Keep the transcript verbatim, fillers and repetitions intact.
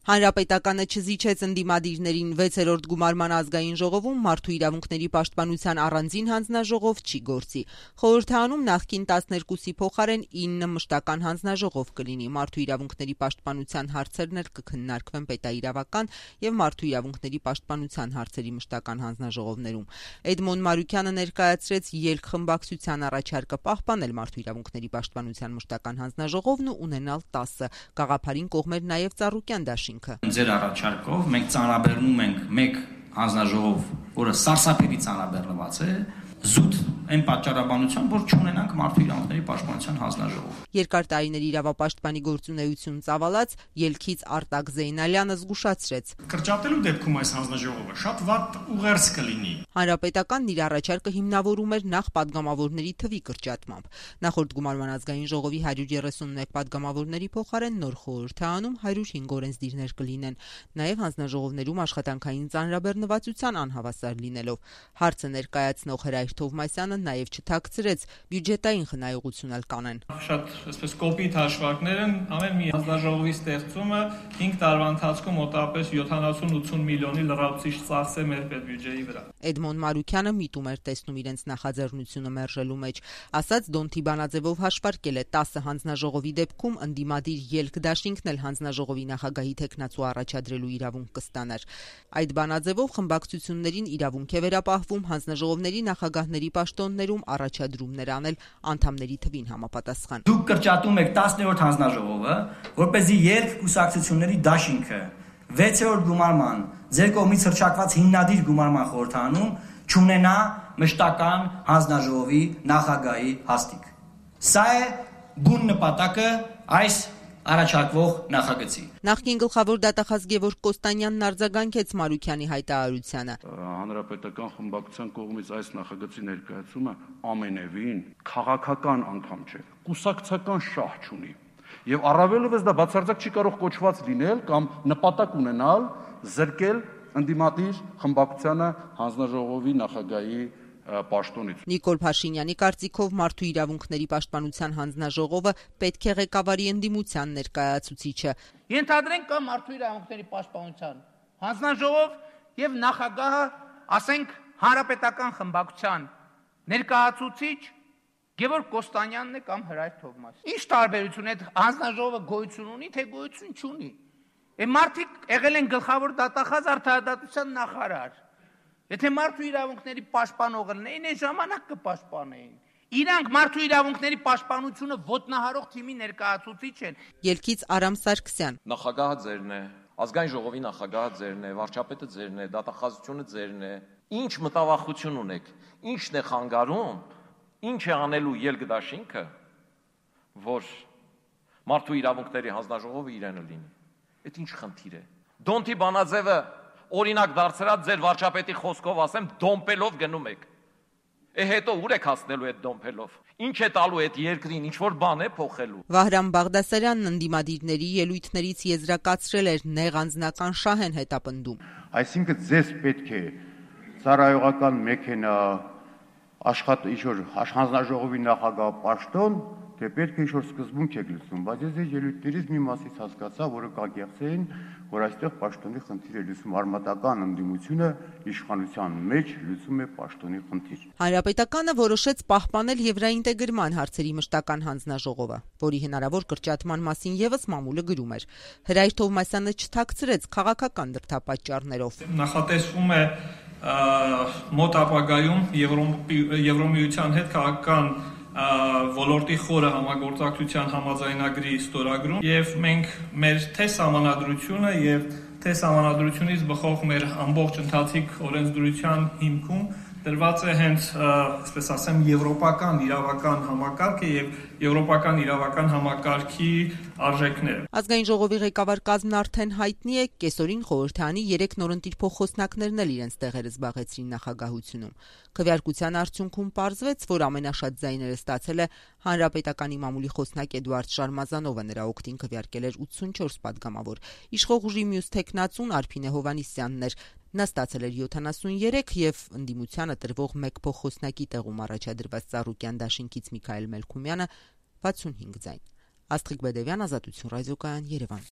Հանրապետականը չզիջեց ընդդիմադիրներին վեցերորդ գումարման ազգային ժողովում մարդու իրավունքների պաշտպանության առանձին հանձնաժողով չի գործի։ Խորհրդարանում նախկին տասներկուսի փոխարեն ինը մշտական հանձնաժողով կլինի։ Մարդու իրավունքների պաշտպանության հարցերն էլ կքննարկվեն պետաիրավական եւ մարդու իրավունքների պաշտպանության հարցերի մշտական հանձնաժողովներում։ Էդմոն Մարուկյանը ներկայացրեց ելք խմբակցության առաջարկը պահպանել մարդու իրավունքների պաշտպանության մշտական հանձնաժողովն ու ունենալ տասը։ Գաղափարին կողմեր նաեւ Ծառուկյան դաշինքը։ Ձեր առաջարկով մենք ծանրաբեռնում ենք մեկ հանձնաժողով, որը սարսափելի ծանրաբեռնված է, զուտ այն պատճառաբանությամբ, որ չունենանք մարդու իրավունքների պաշտպանության հանձնաժողով։ Երկար տարիների իրավապաշտպանի գործունեություն ծավալած ելքից Արտակ Զեյնալյանը զգուշացրեց. Կրճատելու դեպքում այս հանձնաժողովը շատ վատ ուղերձ կլինի։ Հանրապետականն իր առաջարկը հիմնավորում էր նախ падգամավորների թվի կրճատմամբ։ Նախորդ գումարման ազգային ժողովի հարյուր երեսունմեկ падգամավորների փոխարեն նոր խորհրդարանում հարյուր հինգ օրենսդիրներ կլինեն, նաև հանձնաժողովներում աշխատանքային ծանրաբեռնվածության անհավասար լինելով։ Հարցը ներկայացնող Հրայր Թովմասյանը նաև չթաքցրեց բյուջետային խնայողություն էլ կանեն։ Շատ այսպես կոպիտ հաշվարկներ են, ամեն մի հանձնաժողովի ստեղծումը հինգ տարվա ընթացքում մոտավորապես յոթանասուն-ութսուն միլիոնի լրացուցիչ ծախս է մեր պետբյուջեի վրա։ Էդմոն Մարուկյանը միտում էր տեսնում իրենց նախաձեռնությունը մերժելու մեջ, ասաց Դոնթի Բանաձևով հաշվարկել է տասը հանձնաժողովի դեպքում ընդդիմադիր ելք դաշինքն էլ հանձնաժողովի նախագահի թեկնածու առաջադրելու իրավունք կստանար։ Այդ բանաձևով խմբակցություններին իրավունք է վերապահվում հանձնաժողովների նախագահների պաշտոններում առաջադրումներ անել անդամների թվին համապատասխան։ Դուք կրճատում եք տասներորդ հանձնաժողովը, որպեսզի ելք կուսակցությունների դաշինքը վեցերորդ գումարման ձեր կողմից հռչակված հիմնադիր գումարման խորհրդարանում չունենա մշտական հանձնաժողովի նախագահի հաստիք։ Սա է բուն նպատակը այս առաջարկվող նախագծի։ Նախկին գլխավոր դատախազ Գևորգ Կոստանյանն արձագանքեց Մարուկյանի հայտարարությանը։ Հանրապետական խմբակցության կողմից այս նախագծի ներկայացումը ամենևին քաղաքական անդամ չէ, կուսակցական շահ չունի։ Եվ առավելևս դա բացարձակ չի կարող կոչված լինել կամ նպատակ ունենալ զրկել ընդդիմադիր խմբակցությանը հանձնաժողովի նախագահի պաշտոնից։ Նիկոլ Փաշինյանի կարծիքով մարդու իրավունքների պաշտպանության հանձնաժողովը պետք է ղեկավարի ընդդիմության ներկայացուցիչը։ Ենթադրենք կա մարդու իրավունքների պաշտպանության հանձնաժողով եւ նախագահը, ասենք, հանրապետական խմբակցության ներկայացուցիչ Գևորգ Կոստանյանն է կամ Հրայր Թովմասյանը։ Ինչ տարբերություն է հանձնաժողովը գոյություն ունի, թե գոյություն չունի։ Է մարդիկ եղել են գլխավոր դատախազ արդարադատության նախարար։ Եթե մարդու իրավունքների պաշտպանողը լինեին, այն ժամանակ կպաշտպանեին։ Իրանք մարդու իրավունքների պաշտպանությունը ոտնահարող թիմի ներկայացուցիչ են։ Ելքից Արամ Սարգսյան։ Նախագահը ձերն է, ազգային ժողովի նախագահը ձերն է, վարչապետը ձերն է, դատախազությունը ձերն է։ Ինչ մտավախություն ունեք, ինչն է խանգարում, ինչ է անելու ելք դաշինքը, որ մարդու իրավունքների հանձնաժողովը իրենը լինի։ Այդ ինչ խնդիր է։ Դոնթի Բանաձևը օրինակ դարձրած ձեր վարչապետի խոսքով ասեմ դոմպելով գնում եք։ Է հետո ուր եք հասնելու այդ դոմպելով։ Ինչ է տալու այդ երկրին, ինչ որ բան է փոխելու։ Վահրամ Բաղդասարյանն ընդդիմադիրների ելույթներից եզրակացրել էր նեղ անձնական շահ են հետապնդում։ Այսինքն ձեզ պետք է ծառայողական մեքենա, աշխատի ինչ-որ հանձնաժողովի նախագահ պաշտոն, թե պետք է ինչ-որ սկզբունք եք լսում, բայց ես այս ելույթներից մի մասից հասկացա, որը կագեղձեին, որ այստեղ պաշտոնի խնդիր է լուծում, արմատական ընդդիմությունը իշխանության մեջ լուծում է պաշտոնի խնդիր։ Հանրապետականը որոշեց պահպանել եվրաինտեգրման հարցերի մշտական հանձնաժողովը, որի հնարավոր կրճատման մասին եւս մամուլը գրում էր։ Հրայր Թովմասյանը չթաքցրեց քաղաքական դրդապատճառներով։ Նախատեսվում է մոտ ապագայում Եվրոմիության հետ քաղաքական ոլորտի խորը համագործակցության համաձայնագրի ստորագրում եւ մենք մեր թե սահմանադրությունը եւ թե սահմանադրությունից բխող մեր ամբողջ ընթացիկ օրենսդրության հիմքում դրված է հենց, այսպես ասեմ, եվրոպական իրավական համակարգը եւ եվրոպական իրավական համակարգի արժեքները։ Ազգային ժողովի ղեկավար կազմն արդեն հայտնի է, կեսօրին խորհրդարանի երեք նորընտիր փոխոսնակներն էլ իրենց տեղերը զբաղեցրին նախագահությունում։ Քվեարկության արդյունքում պարզվեց, որ ամենաշատ ձայները ստացել է Հանրապետականի մամուլի խոսնակ Էդուարդ Շարմազանովը, նրա օգտին քվեարկել էր ութսունչորս падգամավոր։ Իշխող ուժի մյուս թեկնածուն Արփինե Հովհաննիսյանն էր։ Նա ստացել էր յոթանասուներեք եւ ընդդիմությանը տրվող մեկ փոխոսնակի տեղում առաջադրված Ծառուկյան դաշինքից Միքայել Մելքումյանը վաթսունհինգ ձայն։ Աստղիկ Բեդևյան, Ազատություն ռադիոկայան, Երևան։